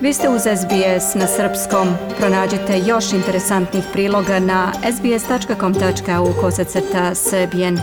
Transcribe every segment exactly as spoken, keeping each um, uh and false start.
Vi ste uz S B S na srpskom. Pronađite još interesantnih priloga na sbs.com.au kosacrta srbijen.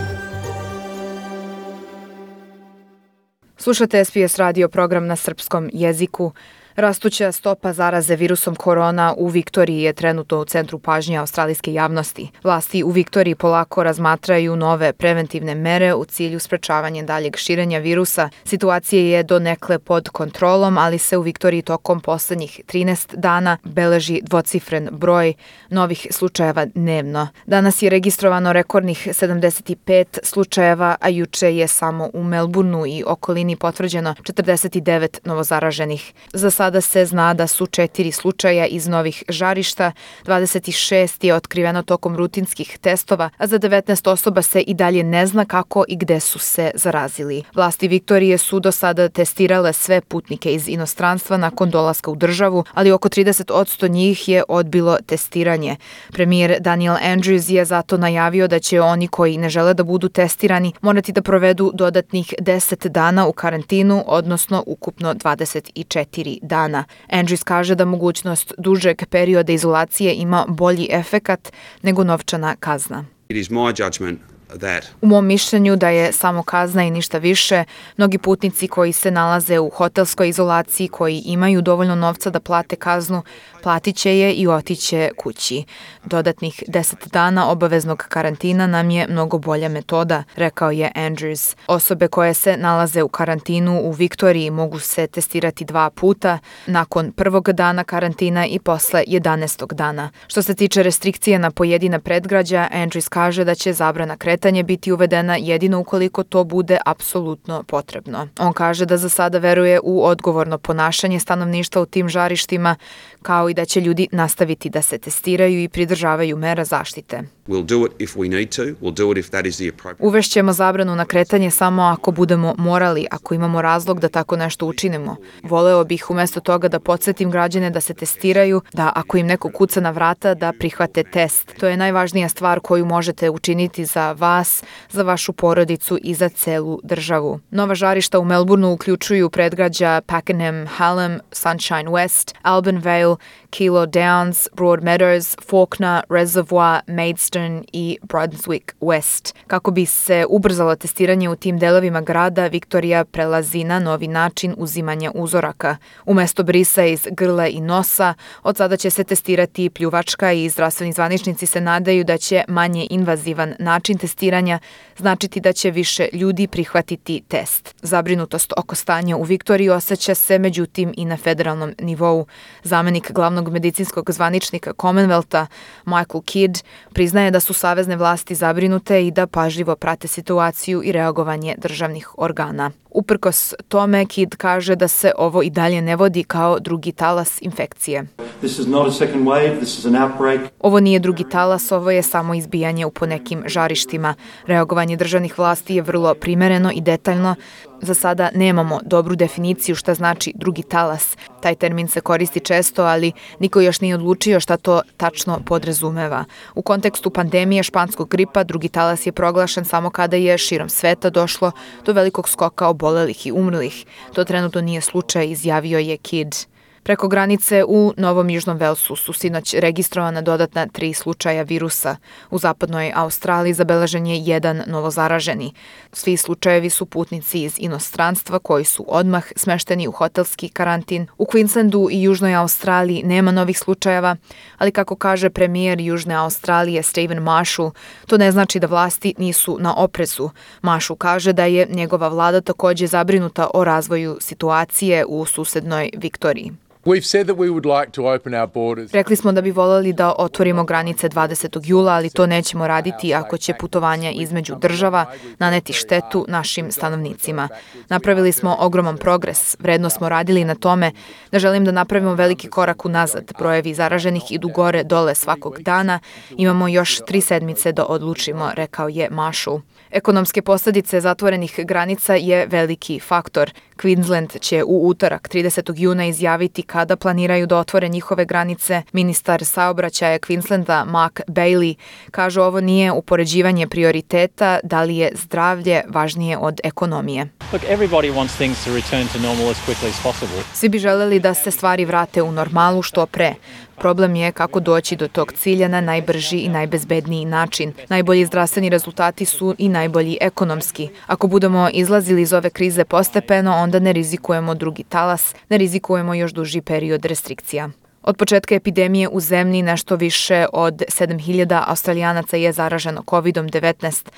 Slušate S B S radio program na srpskom jeziku. Rastuća stopa zaraze virusom korona u Viktoriji je trenutno u centru pažnje australijske javnosti. Vlasti u Viktoriji polako razmatraju nove preventivne mere u cilju sprečavanja daljeg širenja virusa. Situacija je donekle pod kontrolom, ali se u Viktoriji tokom poslednjih trinaest dana beleži dvocifren broj novih slučajeva dnevno. Danas je registrovano rekordnih sedamdeset pet slučajeva, a juče je samo u Melbourneu i okolini potvrđeno četrdeset devet novozaraženih. Za Sada se zna da su četiri slučaja iz novih žarišta, dvadeset šest je otkriveno tokom rutinskih testova, a za devetnaest osoba se i dalje ne zna kako i gde su se zarazili. Vlasti Viktorije su do sada testirale sve putnike iz inostranstva nakon dolaska u državu, ali oko trideset posto njih je odbilo testiranje. Premijer Daniel Andrews je zato najavio da će oni koji ne žele da budu testirani morati da provedu dodatnih deset dana u karantinu, odnosno ukupno dvadeset četiri dana. Dana. Andrews kaže da mogućnost dužeg perioda izolacije ima bolji efekat nego novčana kazna. It is my judgment that U mom mišljenju da je samo kazna i ništa više. Mnogi putnici koji se nalaze u hotelskoj izolaciji, koji imaju dovoljno novca da plate kaznu, platit će je i otiće kući. Dodatnih deset dana obaveznog karantina nam je mnogo bolja metoda, rekao je Andrews. Osobe koje se nalaze u karantinu u Viktoriji mogu se testirati dva puta, nakon prvog dana karantina i posle jedanaestog dana. Što se tiče restrikcije na pojedina predgrađa, Andrews kaže da će zabrana kretanja biti uvedena jedino ukoliko to bude apsolutno potrebno. On kaže da za sada veruje u odgovorno ponašanje stanovništva u tim žarištima, kao i da će ljudi nastaviti da se testiraju i pridržavaju mera zaštite. we'll do it if we need to, we'll do it if that is the appropriate. Uvešćemo zabranu na kretanje samo ako budemo morali, ako imamo razlog da tako nešto učinimo. Voleo bih umjesto toga da podsjetim građane da se testiraju, da ako im neko kuca na vrata da prihvate test. To je najvažnija stvar koju možete učiniti za vas, za vašu porodicu i za celu državu. Nova žarišta u Melbourneu uključuju predgrađa Pakenham, Hallam, Sunshine West, Alban Vale, Kilo Downs, Broadmeadows, Fawkner, Reservoir, Maidstone i Brunswick West. Kako bi se ubrzalo testiranje u tim delovima grada, Viktorija prelazi na novi način uzimanja uzoraka. Umesto brisa iz grla i nosa, od sada će se testirati pljuvačka i zdravstveni zvaničnici se nadaju da će manje invazivan način testiranja značiti da će više ljudi prihvatiti test. Zabrinutost oko stanja u Viktoriji osjeća se međutim i na federalnom nivou. Zamenik glavnog medicinskog zvaničnika Commonwealtha, Michael Kidd, priznaje da su savezne vlasti zabrinute i da pažljivo prate situaciju i reagovanje državnih organa. Uprkos tome, Kidd kaže da se ovo i dalje ne vodi kao drugi talas infekcije. This is not a second wave, this is an outbreak. Ovo nije drugi talas, ovo je samo izbijanje u ponekim žarištima. Reagovanje državnih vlasti je vrlo primereno i detaljno. Za sada nemamo dobru definiciju šta znači drugi talas. Taj termin se koristi često, ali niko još nije odlučio šta to tačno podrazumeva. U kontekstu pandemije španskog gripa, drugi talas je proglašen samo kada je širom sveta došlo do velikog skoka obolelih i umrlih. To trenutno nije slučaj, izjavio je Kidd. Preko granice u Novom Južnom Velsu su sinoć registrovana dodatna tri slučaja virusa. U zapadnoj Australiji zabeležen je jedan novozaraženi. Svi slučajevi su putnici iz inostranstva koji su odmah smešteni u hotelski karantin. U Queenslandu i Južnoj Australiji nema novih slučajeva, ali kako kaže premijer Južne Australije Stephen Marshall, to ne znači da vlasti nisu na oprezu. Marshall kaže da je njegova vlada također zabrinuta o razvoju situacije u susednoj Viktoriji. We've said that we would like to open our borders. Rekli smo da bi voljeli da otvorimo granice dvadesetog jula, ali to nećemo raditi ako će putovanja između država naneti štetu našim stanovnicima. Napravili smo ogroman progres, vredno smo radili na tome. Ne želim da napravimo veliki korak unazad. Brojevi zaraženih idu gore dole svakog dana. Imamo još tri sedmice da odlučimo, rekao je Marshall. Ekonomske posljedice zatvorenih granica je veliki faktor. Queensland će u utorak tridesetog juna izjaviti kada planiraju da otvore njihove granice. Ministar saobraćaja Queenslanda Mark Bailey kaže ovo nije upoređivanje prioriteta, da li je zdravlje važnije od ekonomije. Look, everybody wants things to return to normal as quickly as possible. Svi bi želeli da se stvari vrate u normalu što pre. Problem je kako doći do tog cilja na najbrži i najbezbedniji način. Najbolji zdravstveni rezultati su i najbolji ekonomski. Ako budemo izlazili iz ove krize postepeno, onda ne rizikujemo drugi talas, ne rizikujemo još duži period restrikcija. Od početka epidemije u zemlji nešto više od sedam hiljada Australijanaca je zaraženo kovid devetnaest,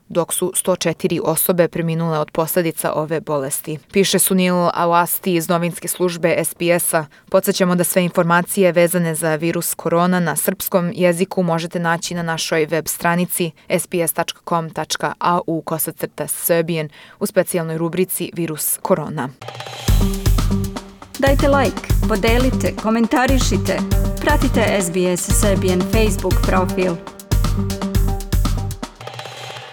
dok su sto četiri osobe preminule od posljedica ove bolesti. Piše Sunil Awasti iz novinske službe S B S-a. Podsjećamo da sve informacije vezane za virus korona na srpskom jeziku možete naći na našoj web stranici s b s tačka com tačka a u kosacrta Serbian u specijalnoj rubrici Virus korona. Dajte like, podelite, komentarišite. Pratite S B S Serbian Facebook profil.